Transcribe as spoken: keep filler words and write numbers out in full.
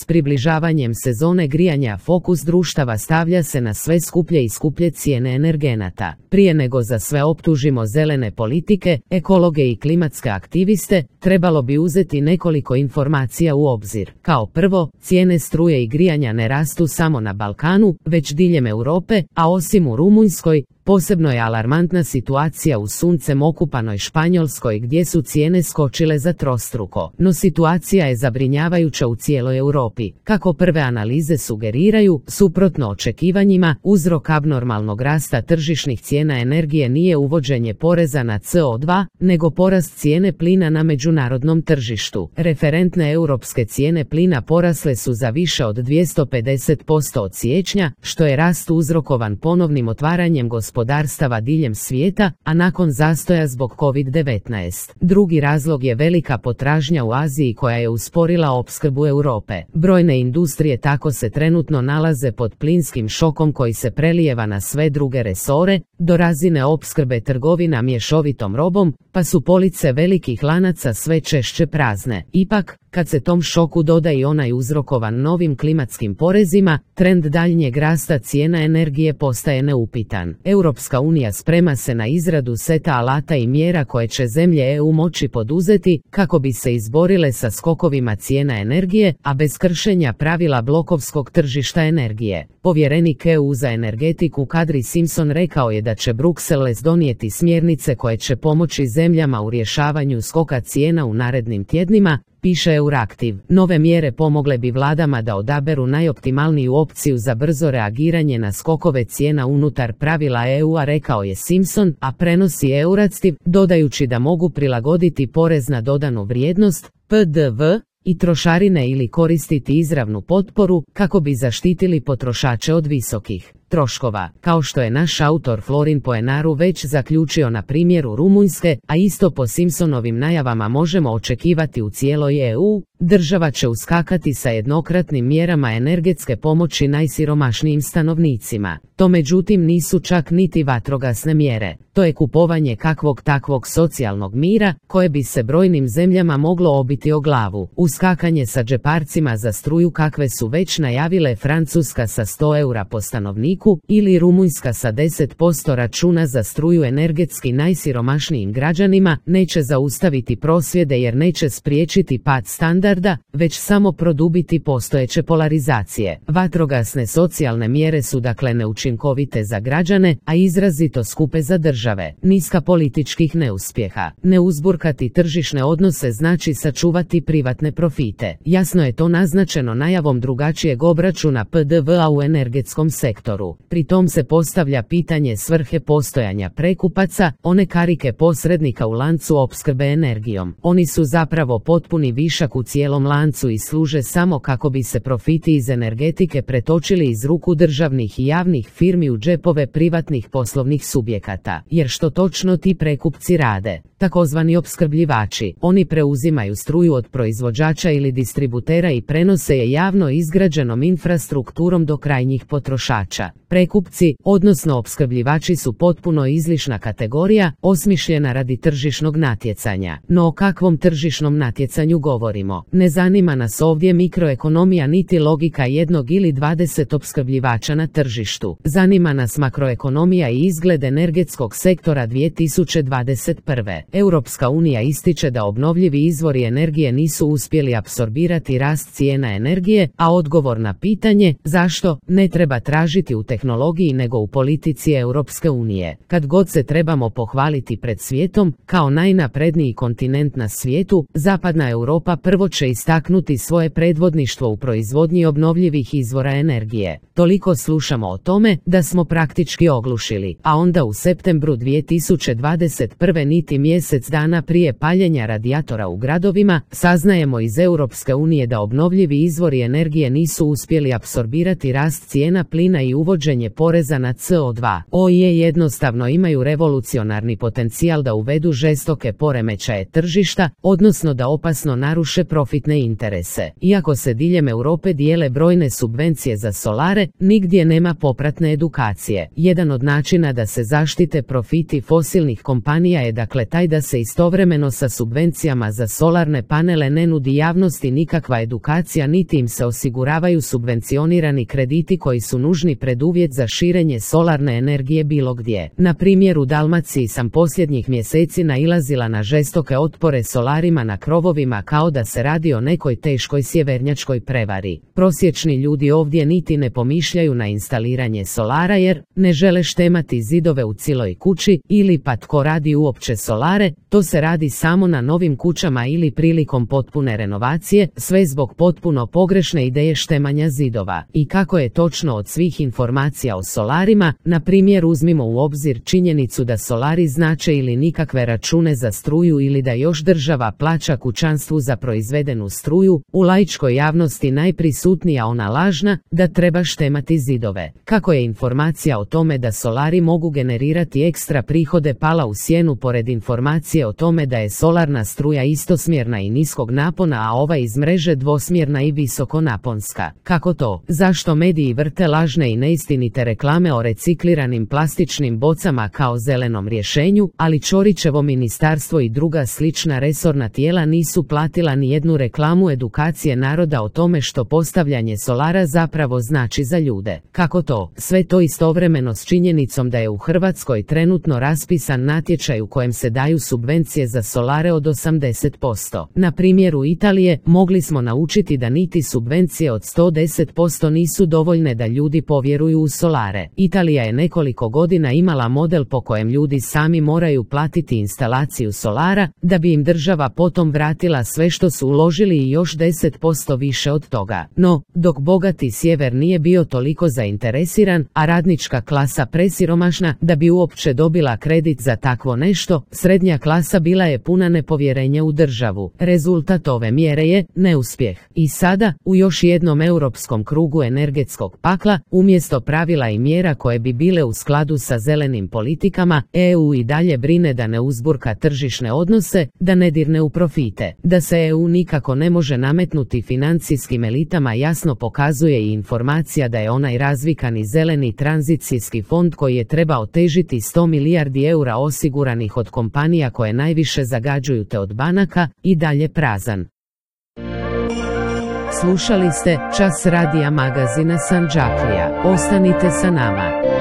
S približavanjem sezone grijanja fokus društava stavlja se na sve skuplje i skuplje cijene energenata. Prije nego za sve optužimo zelene politike, ekologe i klimatske aktiviste, trebalo bi uzeti nekoliko informacija u obzir. Kao prvo, cijene struje i grijanja ne rastu samo na Balkanu, već diljem Europe, a osim u Rumunjskoj, posebno je alarmantna situacija u suncem okupanoj Španjolskoj gdje su cijene skočile za trostruko. No situacija je zabrinjavajuća u cijeloj Europi. Kako prve analize sugeriraju, suprotno očekivanjima, uzrok abnormalnog rasta tržišnih cijena energije nije uvođenje poreza na C O dva, nego porast cijene plina na međunarodnom tržištu. Referentne europske cijene plina porasle su za više od dvjesto pedeset posto od siječnja, što je rast uzrokovan ponovnim otvaranjem gospodarstva gospodarstava diljem svijeta, a nakon zastoja zbog kovid devetnaest. Drugi razlog je velika potražnja u Aziji koja je usporila opskrbu Europe. Brojne industrije tako se trenutno nalaze pod plinskim šokom koji se prelijeva na sve druge resore, do razine opskrbe trgovina mješovitom robom, pa su police velikih lanaca sve češće prazne. Ipak, kad se tom šoku doda i onaj uzrokovan novim klimatskim porezima, trend daljnjeg rasta cijena energije postaje neupitan. Europska unija sprema se na izradu seta alata i mjera koje će zemlje E U moći poduzeti kako bi se izborile sa skokovima cijena energije, a bez kršenja pravila blokovskog tržišta energije. Povjerenik E U za energetiku Kadri Simpson rekao je da će Bruxelles donijeti smjernice koje će pomoći zemljama u rješavanju skoka cijena u narednim tjednima, piše Euraktiv. Nove mjere pomogle bi vladama da odaberu najoptimalniju opciju za brzo reagiranje na skokove cijena unutar pravila E U-a, rekao je Simpson, a prenosi Euraktiv, dodajući da mogu prilagoditi porez na dodanu vrijednost, P D V, i trošarine ili koristiti izravnu potporu kako bi zaštitili potrošače od visokih troškova, kao što je naš autor Florin Poenaru već zaključio na primjeru Rumunjske, a isto po Simpsonovim najavama možemo očekivati u cijeloj E U. Država će uskakati sa jednokratnim mjerama energetske pomoći najsiromašnijim stanovnicima. To međutim nisu čak niti vatrogasne mjere. To je kupovanje kakvog takvog socijalnog mira, koje bi se brojnim zemljama moglo obiti o glavu. Uskakanje sa džeparcima za struju kakve su već najavile Francuska sa sto eura po stanovniku ili Rumunjska sa deset posto računa za struju energetski najsiromašnijim građanima, neće zaustaviti prosvjede jer neće spriječiti pad standarda, već samo produbiti postojeće polarizacije. Vatrogasne socijalne mjere su dakle neučinkovite za građane, a izrazito skupe za države. Niska političkih neuspjeha. Ne uzburkati tržišne odnose znači sačuvati privatne profite. Jasno je to naznačeno najavom drugačijeg obračuna P D V-a u energetskom sektoru. Pri tom se postavlja pitanje svrhe postojanja prekupaca, one karike posrednika u lancu opskrbe energijom. Oni su zapravo potpuni višak u cijelom lancu i služe samo kako bi se profiti iz energetike pretočili iz ruku državnih i javnih firmi u džepove privatnih poslovnih subjekata. Jer što točno ti prekupci rade? Takozvani opskrbljivači. Oni preuzimaju struju od proizvođača ili distributera i prenose je javno izgrađenom infrastrukturom do krajnjih potrošača. Prekupci, odnosno opskrbljivači, su potpuno izlišna kategorija, osmišljena radi tržišnog natjecanja. No o kakvom tržišnom natjecanju govorimo? Ne zanima nas ovdje mikroekonomija niti logika jednog ili dvadeset opskrbljivača na tržištu. Zanima nas makroekonomija i izgled energetskog sektora dvije tisuće dvadeset prve. Europska unija ističe da obnovljivi izvori energije nisu uspjeli apsorbirati rast cijena energije, a odgovor na pitanje zašto ne treba tražiti u tehnologiji nego u politici Europske unije. Kad god se trebamo pohvaliti pred svijetom, kao najnapredniji kontinent na svijetu, zapadna Europa prvo će istaknuti svoje predvodništvo u proizvodnji obnovljivih izvora energije. Toliko slušamo o tome da smo praktički oglušili, a onda u septembru dvije tisuće dvadeset prve niti mjesec dana prije paljenja radijatora u gradovima, saznajemo iz Europske unije da obnovljivi izvori energije nisu uspjeli apsorbirati rast cijena plina i uvođenje poreza na C O dva. O I E jednostavno imaju revolucionarni potencijal da uvedu žestoke poremećaje tržišta, odnosno da opasno naruše profitne interese. Iako se diljem Europe dijele brojne subvencije za solare, nigdje nema popratne edukacije. Jedan od načina da se zaštite profiti fosilnih kompanija je dakle taj da se istovremeno sa subvencijama za solarne panele ne nudi javnosti nikakva edukacija niti im se osiguravaju subvencionirani krediti koji su nužni preduvjet za širenje solarne energije bilo gdje. Na primjer u Dalmaciji sam posljednjih mjeseci nailazila na žestoke otpore solarima na krovovima kao da se radi o nekoj teškoj sjevernjačkoj prevari. Prosječni ljudi ovdje niti ne pomišljaju na instaliranje solara jer ne žele štemati zidove u cijeloj kući ili pa tko radi uopće solare, to se radi samo na novim kućama ili prilikom potpune renovacije, sve zbog potpuno pogrešne ideje štemanja zidova. I kako je točno od svih informacija o solarima, na primjer uzmimo u obzir činjenicu da solari znače ili nikakve račune za struju ili da još država plaća kućanstvu za proizvedenu struju, u laičkoj javnosti najprisutnija ona lažna da treba štemati zidove. Kako je informacija o tome da solari mogu generirati ekstra prihode pala u sjenu pored informacije o tome da je solarna struja istosmjerna i niskog napona, a ova iz mreže dvosmjerna i visokonaponska? Kako to? Zašto mediji vrte lažne i neistinite reklame o recikliranim plastičnim bocama kao zelenom rješenju, ali Ćorićevo ministarstvo i druga slična resorna tijela nisu platila ni jednu reklamu edukacije naroda o tome što postavljanje solara zapravo znači za ljude? Kako to? Sve to istovremeno s činjenicom da je u Hrvatskoj trenutno raspisan natječaj u kojem se daju subvencije za solare od osamdeset posto. Na primjeru Italije mogli smo naučiti da niti subvencije od sto deset posto nisu dovoljne da ljudi povjeruju u solare. Italija je nekoliko godina imala model po kojem ljudi sami moraju platiti instalaciju solara, da bi im država potom vratila sve što su uložili i još deset posto više od toga. No, dok bogati sjever nije bio toliko zainteresiran, a radnička klasa presiromašna da bi uopće dobila kredit za takvo nešto, srednja klasa bila je puna nepovjerenja u državu. Rezultat ove mjere je neuspjeh. I sada, u još jednom europskom krugu energetskog pakla, umjesto pravila i mjera koje bi bile u skladu sa zelenim politikama, E U i dalje brine da ne uzburka tržišne odnose, da ne dirne u profite. Da se E U nikako ne može nametnuti financijskim elitama jasno pokazuje i informacija da je onaj razvikani zeleni tranzicijski fond koji je trebao težiti sto milijardi eura osiguranih od kompanija koje najviše zagađuju te od banaka, i dalje prazan. Slušali ste Čas radija magazina Sandžaklija. Ostanite sa nama.